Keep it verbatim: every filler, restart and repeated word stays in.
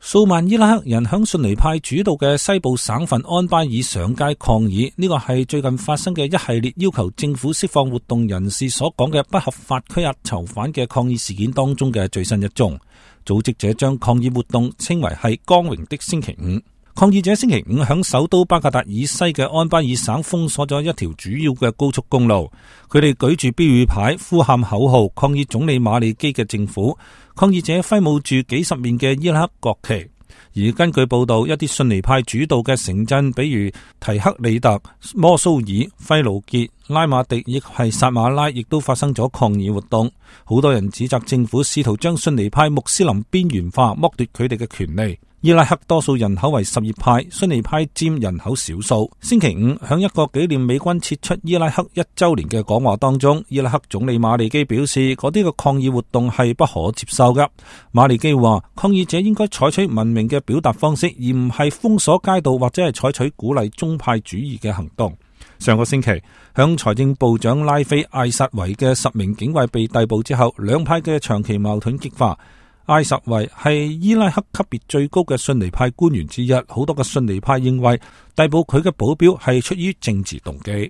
數萬伊拉克人響遜尼派主導嘅西部省份安巴爾上街抗議，呢個係最近發生嘅一系列要求政府釋放活動人士所講嘅不合法拘押囚犯嘅抗議事件當中嘅最新一宗。組織者將抗議活動稱為係光榮的星期五。抗議者星期五響首都巴格達以西嘅安巴爾省封鎖咗一條主要嘅高速公路，佢哋舉住標語牌，呼喊口號，抗議總理馬利基嘅政府。抗議者揮舞住幾十面嘅伊拉克國旗。而根據報道，一啲遜尼派主導嘅城鎮，比如提克里特、摩蘇爾、費盧傑、拉馬迪，亦係薩馬拉，亦都發生咗抗議活動。好多人指責政府試圖將遜尼派穆斯林邊緣化，剝奪佢哋嘅權利。伊拉克多數人口為什葉派，遜尼派佔人口少數。星期五，響一個紀念美軍撤出伊拉克一周年嘅講話當中，伊拉克總理馬利基表示，嗰啲嘅抗議活動係不可接受嘅。馬利基話，抗議者應該採取文明嘅表達方式，而唔係封鎖街道或者係採取鼓勵宗派主義嘅行動。上個星期，響財政部長拉菲艾薩維嘅十名警衛被逮捕之後，兩派嘅長期矛盾激化。艾薩維係伊拉克級別最高嘅遜尼派官員之一，好多嘅遜尼派認為逮捕佢嘅保鏢係出於政治動機。